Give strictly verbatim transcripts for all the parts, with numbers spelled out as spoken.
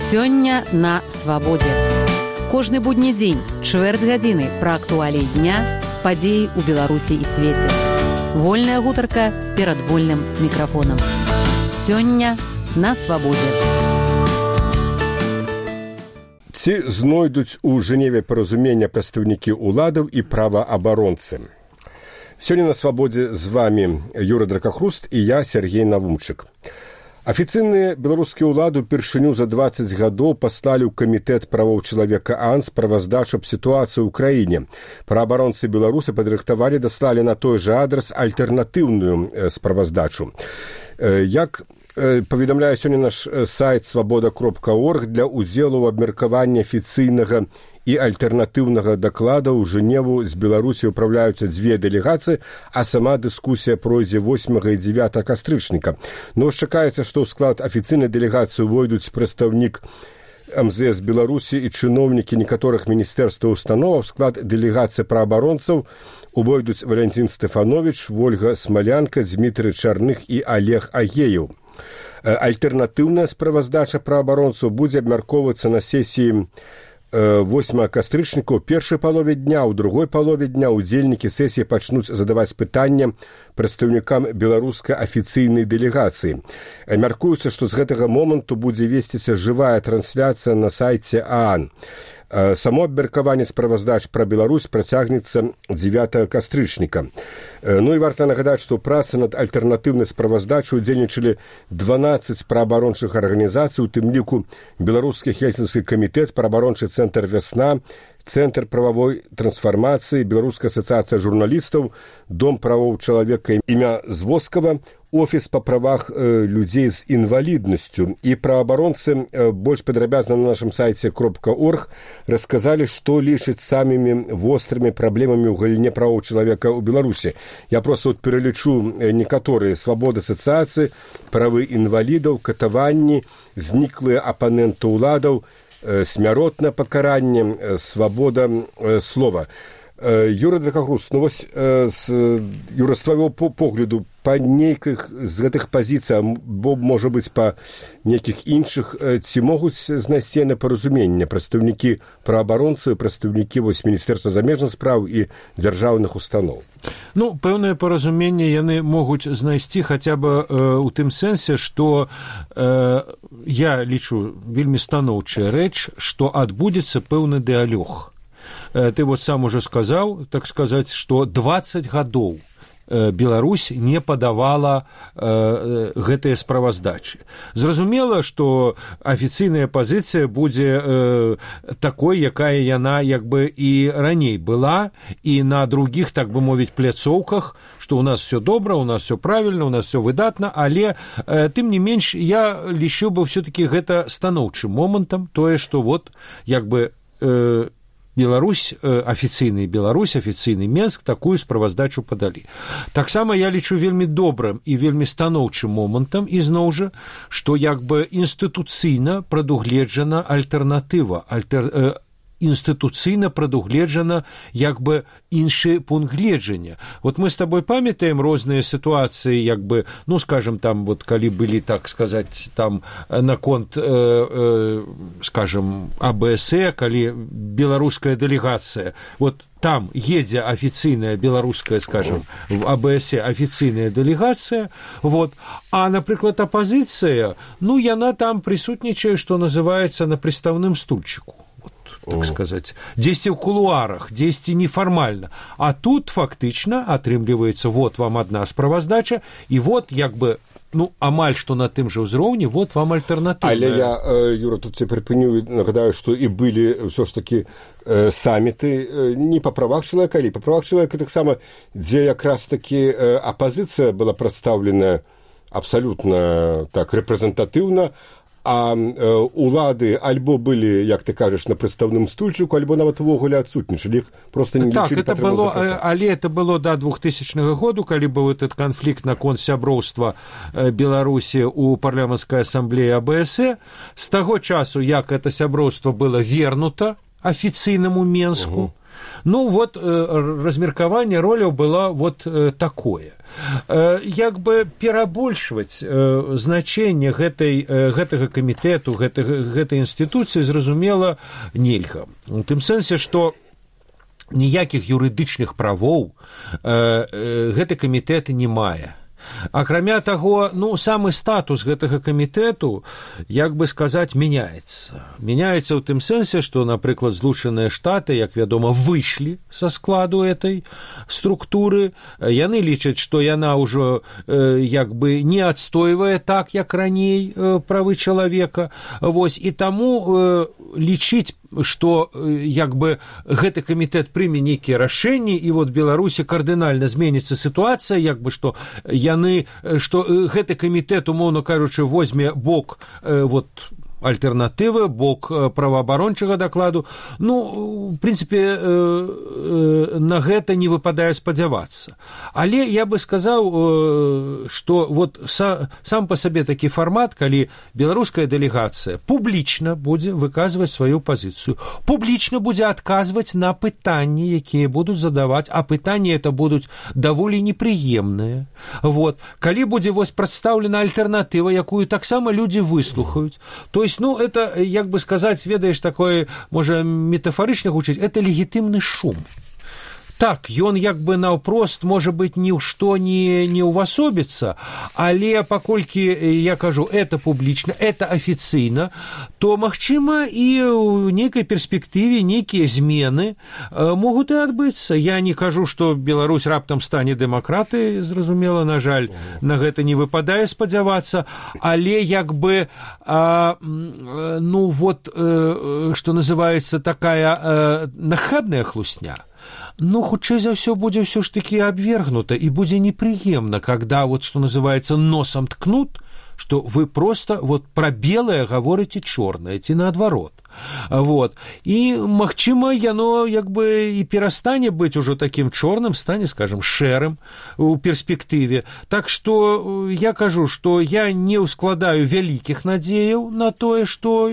Сёння на свабодзе. Кожны будні дзень, чвэрць гадзіны пра актуаліі дня, падзеі ў Беларусі і свеце. Вольная гутарка перад вольным мікрафонам. Сёння на свабодзе. Ці знойдуць у Жэневе паразумення прадстаўнікі ўладаў і праваабаронцы? Сёння на свабодзе з вами Юра Дракахруст і я, Сергей Навумчык. Афіцыйныя беларускія ўлады ўпершыню за дваццаць гадоў паслалі ў камітэт правоў чалавека АН справаздачу аб сітуацыі ў краіне. Праабаронцы беларусы падрыхтавалі, даслалі на той жа адрас альтэрнатыўную справаздачу. Як паведамляе сёння наш сайт свабода кропка орг, для ўдзелу ў абмеркаванні афіцыйнага і альтэрнатыўнага даклада ў Жэневу з Беларусі ўпраўляюцца дзве дэлегацыі, а сама дыскусія пройдзе восьмага і дзевятага кастрычніка. Но чакаецца, што ў склад афіцыйнай дэлегацыі увойдуць прадстаўнік эм зэ эс Беларусі і чыноўнікі некаторых міністэрстваў установаў. Склад дэлегацыі праабаронцаў увойдуць Валянцін Стэфановіч, Вольга Смалянка, Дмітрый Чарных і Олег Агеев. Альтэрнатыўная справаздача праабаронцаў будзе абмяркоўвацца на сесіі восьмага кастрычніка ў першай палове дня, у другой палове дня удзельнікі сесіі пачнуць задаваць пытанне прадстаўнікам беларускай афіцыйнай дэлегацыі. Мяркуецца, што з гэтага моманту будзе весціся жывая трансляцыя на сайце ААН. Само абмеркаванне справаздач пра Беларусь працягнецца дзевятага кастрычніка. Ну і варта нагадаць, што ў працы над альтэрнатыўнай справаздачай удзельнічалі дванаццаць праабарончых арганізацый, у тым ліку Беларускі хельсінскі камітэт, праабарончы цэнтр «Вясна», Цэнтр прававой трансфармацыі, Беларуская асацыяцыя журналістаў, Дом правоў чалавека імя Звоскава, Офіс па правах э, людзей з інваліднасцю. І праабаронцы э, больш падрабязна на нашым сайце кропка орг расказалі, што лічаць самымі вострымі праблемамі ў галіне правоў чалавека ў Беларусі. Я проста вот пералічу некаторыя: свабода асацыяцыі, правы інвалідаў, катаванні, зніклыя апаненты ўладаў, смяротнае пакаранне, свабода слова. Юра Дракахруст, ну вось, Юра, з твайго погляду, па нейкіх з гэтых пазіцый, бо, можа быць, па нейкіх іншых, ці могуць знайсці непаразумення прадстаўнікі праабаронцаў, прадстаўнікі вось Міністэрства замежных спраў і дзяржаўных устаноў? Ну, пэўнае паразуменне яны могуць знайсці хаця бы э, у тым сэнсе, што э, я лічу вельмі станоўчая рэч, што адбудзецца пэўны дыалог. Э, ты вот сам уже сказаў, так сказаць, што дваццаць гадоў Беларусь не падавала э, гэтыя справаздачы. Зразумела, што афіцыйная пазіцыя будзе э, такой, якая яна як бы і раней была, і на другіх, так бы мовіць, пляцоўках, што у нас все добра, у нас все правільна, у нас все выдатна, але э, тым не менш я лічу бы все-таки гэта станоўчым момантам, тое, што вот як бы э, Беларусь, афіцыйны Беларусь, афіцыйны Менск такую справаздачу падалі. Таксама я лічу вельмі добрым і вельмі станоўчым момантам, ізноў жа, што як бы інстытуцыйна прадугледжана альтэрнатыва, альтер... э, інстытуцыйна прадугледжана як бы іншы пункт гледжання. Вот мы з табой памятаем розныя сітуацыі, як бы, ну, скажем, там, вот, калі былі, так сказаць, там, наконт, э, э, скажем, а бэ эс э, калі беларуская дэлегацыя, вот, там едзе афіцыйная беларуская, скажем, в а бэ эс э афіцыйная дэлегацыя, вот, а, напрыклад, апазіцыя, ну, яна там прысутнічае, што называецца, на прыстаўным стульчыку. Так сказаць, дзесьці ў кулуарах, дзесьці нефармальна. А тут фактычна атрымліваецца, вот вам адна справаздача, і вот як бы, ну, амаль што на тым жа ўзроўні, вот вам альтэрнатыўная. Але я, Юра, тут тебе припыню, нагадаю, што і былі ўсё ж такі э, саміты не па правах чалавека, але па правах чалавека таксама, дзе якраз такі э, апазіцыя была прадстаўлена абсалютна так рэпрэзентатыўна, а э, улады альбо былі, як ты кажаш, на прадстаўным стульчыку, альбо нават увогуле адсутнічалі, іх проста не лічылі так, патрэбна запрашаць. Але это было да двухтысячнага году, калі быў этот канфлікт наконт сяброўства Беларусі ў парламенцкай асамблеі а бэ эс э. З таго часу, як это сяброўства было вернута афіцыйнаму Менску, угу. Ну вот размеркаванне роляў было вот такое. Як бы перабольшваць значэнне гэтай, гэтага камітэту, гэтай, гэтай інстытуцыі, зразумела, нельга. У тым сэнсе, што ніякіх юрыдычных правоў гэты камітэт не мае. Акрамя таго, ну, самы статус гэтага камітэту, як бы сказаць, мяняецца. Мяняецца ў тым сэнсе, што, напрыклад, Злучаныя Штаты, як вядома, выйшлі са складу этой структуры. Яны лічаць, што яна ўжо э, як бы не адстойвае так, як раней э, правы чалавека. Вось, і таму э, лічыць, што як бы гэты камітэт прыме нейкія рашэнні, і вот Беларусі кардынальна зменіцца сітуацыя, як бы што яны, што гэты камітэт, умоўна кажучы, возьме бок э, вот альтэрнатывы, бок праваабарончага дакладу. Ну, в прынцыпе, на гэта не выпадае спадзявацца. Але я бы сказаў, што вот сам па сабе такі фармат, калі беларуская дэлегацыя публічна будзе выказваць сваю пазіцыю, публічна будзе адказваць на пытанні, якія будуць задаваць, а пытанні это будуць даволі непрыемныя. Вот. Калі будзе вось прадстаўлена альтэрнатыва, якую таксама людзі выслухаюць, то ну, это, як бы сказаць, ведаеш, такое, можа, метафарычна гучыць, это легітымны шум. Так, ён як бы наўпрост, можа быць, ні ў што не, не ўвасобіцца, але паколькі, я кажу, это публічна, это афіцыйна, то, магчыма, і ў нейкай перспектыве нейкія змены э, могуць і адбыцца. Я не кажу, што Беларусь раптам стане дэмакратай, зразумела, на жаль, на гэта не выпадае спадзявацца, але як бы, э, ну вот, э, што называецца такая э, нахабная хлусня, ну, хутчэй за ўсё будзе ўсё ж такі абвергнута, і будзе непрыемна, когда, вот, што называецца, носам ткнут, што вы просто вот пра белае гаворыце чорнае, ці наадварот. Вот. І, магчыма, яно як бы і перастане быць ужо такім чорным, стане, скажем, шэрым у перспектыве. Так што я кажу, што я не ўскладаю вялікіх надзеяў на тое, што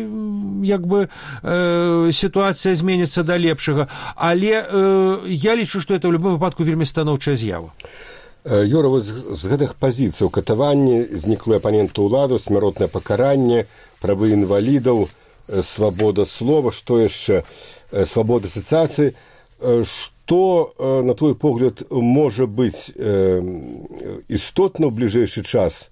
як бы э, сітуацыя зменіцца да лепшага, але э, я лічу, што это ў любым выпадку вельмі станоўчая з'ява. Юра, з, з гэтых пазіцый катаванні, зніклыя апаненты ўладу, смяротнае пакаранне, правы інвалідаў, свабода слова, што яшчэ, свабода асацыяцыі. Што, на твой погляд, можа быць істотна ў бліжэйшы час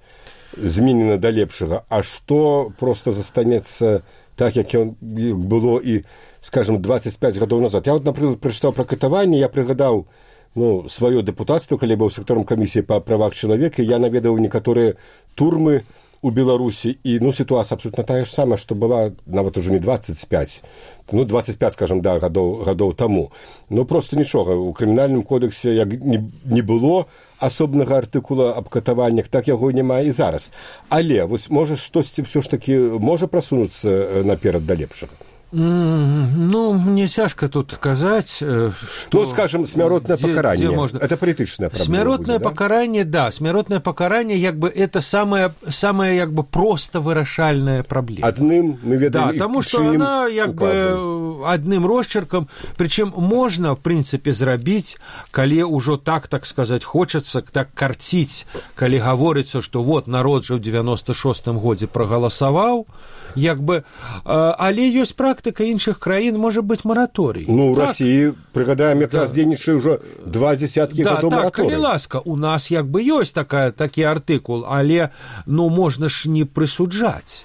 зменена да лепшага, а што проста застанецца так, як было і, скажем, дваццаць пяць гадоў назад. Я, вот, напрыклад, прачытаў пра катаванне, я прыгадаў ну, сваё дэпутацтва, калі быў сектаром камісіі па правах чалавека, я наведаў некаторыя турмы у Беларусі, і ну, сітуацыя абсолютна тая ж самая, што была нават ужо не дваццаць пяць, ну, дваццаць пяць, скажем, да, гадоў, гадоў таму. Ну, проста нічога. У крымінальным кодексе як не, не было асобнага артыкула аб катаваннях, так яго няма і зараз. Але, вось, можа, штосьці ўсё ж такі можа прасунуцца наперад да лепшага? Ну, мне цяжка тут казаць, што... Ну, скажем, смяротнае пакаранне. Можно... Это палітычная праблема. Смяротнае будзе, пакаранне, да? да, смяротнае пакаранне, як бы, это самая, самая, як бы, проста вырашальная праблема. Адным, мы ведаем, да, таму што она, як бы, адным росчеркам, прычым можна, в прынцыпе, зрабіць, калі ўжо так, так сказаць, хочацца, так карціць, калі гаворыцца, што вот народ жа ў дзевяноста шостым годзе прагаласаваў, як бы, але ёсць практыка іншых краін, можа быць мараторый. Ну, у так. Расіі, прыгадаем, якраз да. дзейнічае ўжо два дзесяткі да, гадоў так, мараторый. Калі ласка, у нас як бы ёсць такая, такі артыкул, але, ну, можна ж не прысуджаць.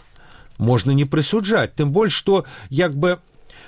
Можна не прысуджаць, тым больш, што, як бы,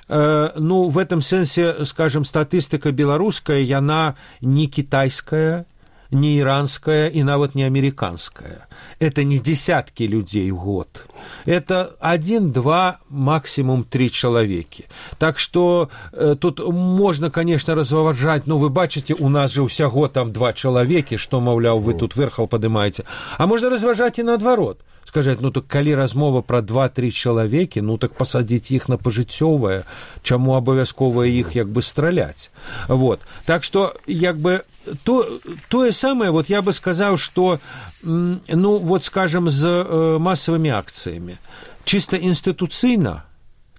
э, ну, в этом сэнсе, скажем, статыстыка беларуская, яна не кітайская, не иранская и нават не американская. Это не десятки людей в год. Это один, два, максимум три человеки. Так что э, тут можно, конечно, разважать, но вы бачите, у нас же усяго там два человеки, что, маўляў, вы тут верхал поднимаете. А можно разважать и наадварот. Сказаць, ну так калі размова пра два-тры чалавекі, ну так пасадзіць іх на пажыццёвае, чаму абавязкова іх як бы страляць. Вот. Так што як бы то, тое самае, вот я бы сказаў, што ну вот скажем з э, масавымі акцыямі чыста інстытуцыйна,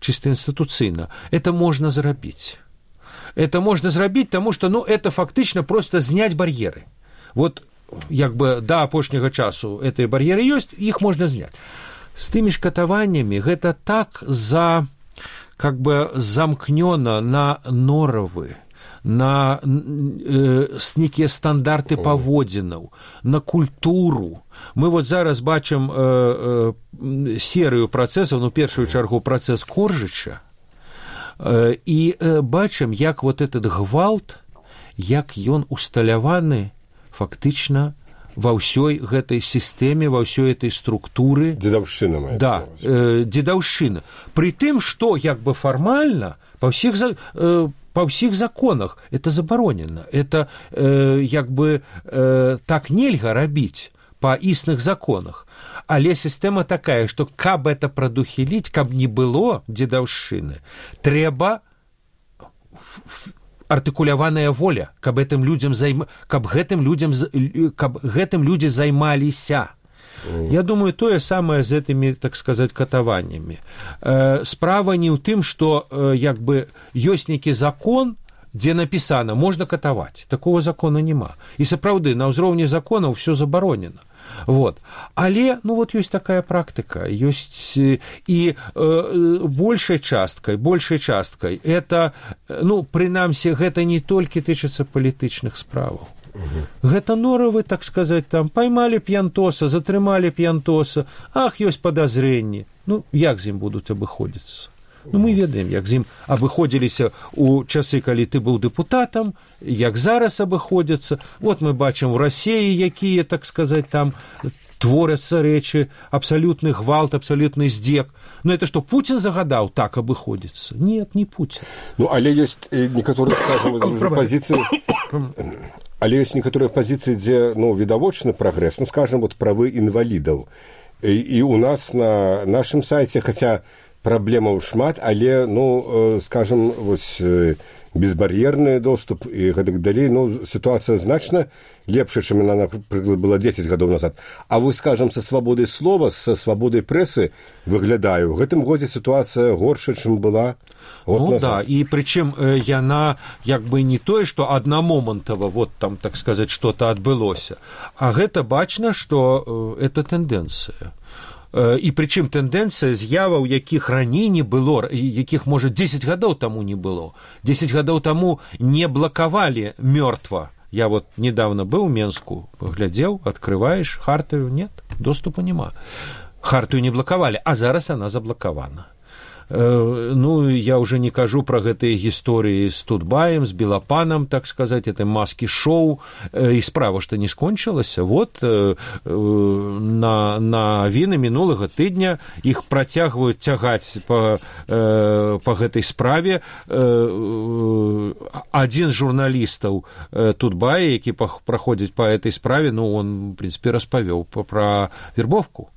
чыста інстытуцыйна это можна зрабіць. это можно зрабіць, таму што ну, это фактычна проста зняць бар'еры. Вот як бы да апошняга часу гэтыя бар'еры ёсць, іх можна зняць. З тымі ж катаваннямі гэта так за, как бы замкнёна на норавы, на э, нейкія стандарты паводзінаў, на культуру. Мы вот зараз бачым э, э, серыю працэсаў, ну, першую чаргу працэс Коржыча, э, і э, бачым, як вот этот гвалт, як ён усталяваны фактычна ва ўсёй гэтай сістэме, ва ўсёй этой структуры. Дзедаўшчына маецца. Да, э, дзедаўшчына. Пры тым, што як бы фармальна па ўсіх э, па ўсіх законах это забаронена. Это э, як бы э, так нельга рабіць па існых законах. Але сістэма такая, што каб это прадухіліць, каб не было дзедаўшчыны, трэба артыкуляваная воля, каб гэтым людзям займ... каб гэтым людзям каб гэтым людзі займаліся. Я думаю, тое самае з гэтымі, так сказаць, катаваннямі. Э, справа не ў тым, што э, як бы ёсць нейкі закон, дзе напісана, можна катаваць. Такого закона няма. І сапраўды, на ўзроўні законаў ўсё забаронена. Вот. Але, ну, вот ёсць такая практыка, ёсць і э, большай часткай, большай часткай, это, ну, прынамсі, гэта не толькі тычыцца палітычных справаў. Угу. Гэта норавы, так сказаць, там, поймалі п'янтоса, затрымалі п'янтоса, ах, ёсць падазрэнні. Ну, як з ім будуць абыходзіцца? Ну, мы ведаем, як з ім абыходзіліся ў часы, калі ты быў дэпутатам, як зараз абыходзяцца. Вот мы бачым у Расіі, якія, так сказаць, там творяцца рэчы, абсалютны гвалт, абсалютны здзек. Ну, это што, Пуцін загадаў так абыходзіцца? Нет, не Пуцін. Ну, але ёсць некаторыя, скажем, пазіцыі... Але ёсць некаторыя пазіцыі, дзе, ну, відавочны прагрэс, ну, скажем, вот правы інвалідаў. І, і у нас на нашым сайце, хаця праблемаў шмат, але, ну, скажем, вось безбар'ерны доступ і гэтак далей, ну, сітуацыя значна лепшая, чым яна, напрыклад, была дзесяць гадоў назад. А вось, скажем, са свабодай слова, са свабодай прэсы выглядаю, у гэтым годзе сітуацыя горшая, чым была год ну, назад. Да, і прычым яна як бы не тое, што аднамомантава вот там, так сказаць, што-то адбылося, а гэта бачна, што это тэндэнцыя. І прычым тэндэнцыя з'яваў, якіх раней не было, якіх, можа, дзесяць гадоў таму не было. дзесяць гадоў таму не блакавалі мёртва. Я вот недавно был в Менску, поглядел, открываешь хартию, нет, доступа нема. Хартию не блокавали, а зараз она заблокована. Ну, я уже не кажу про гэтые гісторыі з Тутбаем, з Белапанам, так сказать, это маски-шоу, і справа, што не скончылася. Вот на, на віны мінулага тыдня іх працягваюць цягаць па, па гэтай справе. Адзін з журналістаў Тутбая, які праходзіць па гэтай справе, ну, он, в принципе, распавёў пра вербовку,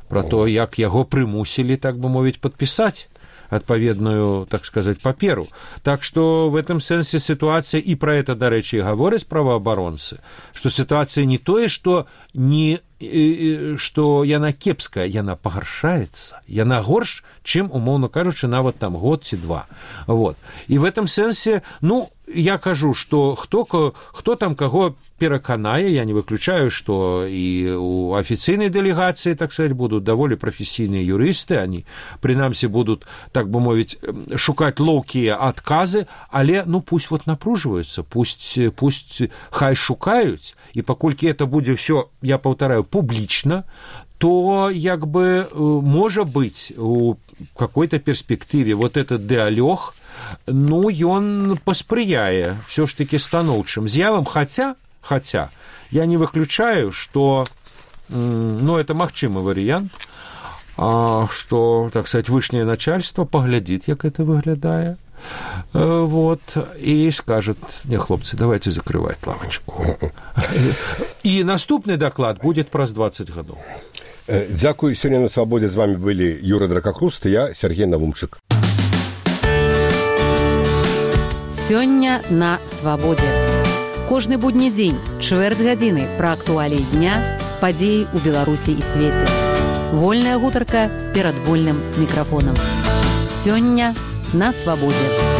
пра то, як яго прымусілі, так бы мовіць, падпісаць адпаведную, так сказать, паперу. Так что в этом сэнсе ситуация, и про это, до речи, и говорят правоабаронцы, что ситуация не тое, что не што яна кепская, яна пагаршаецца, яна горш, чым, умоўна кажучы, нават там год ці два. Вот. І в этом сэнсе, ну, я кажу, што хто, хто там каго пераканае, я не выключаю, што і у афіцыйнай дэлегацыі, так сказать, будут даволі прафесійныя юрысты, они, прынамсі, будут, так бы мовіць, шукаць лоўкія адказы, але, ну, пусть вот напружваюцца, пусть, пусть хай шукаюць, і паколькі это будзе ўсё, я паўтараю, публічна, то, як бы, можа быць, у какой-то перспектыве вот этот дыалог, ну, ён паспрыяе все ж таки станоўчым з'явам, хаця, хаця, я не выключаю, что, ну, это магчымы варыянт, что, так сказать, вышняе начальство поглядит, як это выглядае, вот, и скажет: не, хлопцы, давайте закрывать лавочку. И наступный доклад будет праз двадцать гадоў. Дзякуй. Сёння на свабодзе з вами былі Юра Дракахруст і я, Сергей Навумчык. Сёння на свабодзе. Кожны будні дзень, чвэрць гадзіны пра актуаліі дня, падзеі ў Беларусі і свеце. Вольная гутарка перад вольным мікрафонам. Сёння на свабодзе.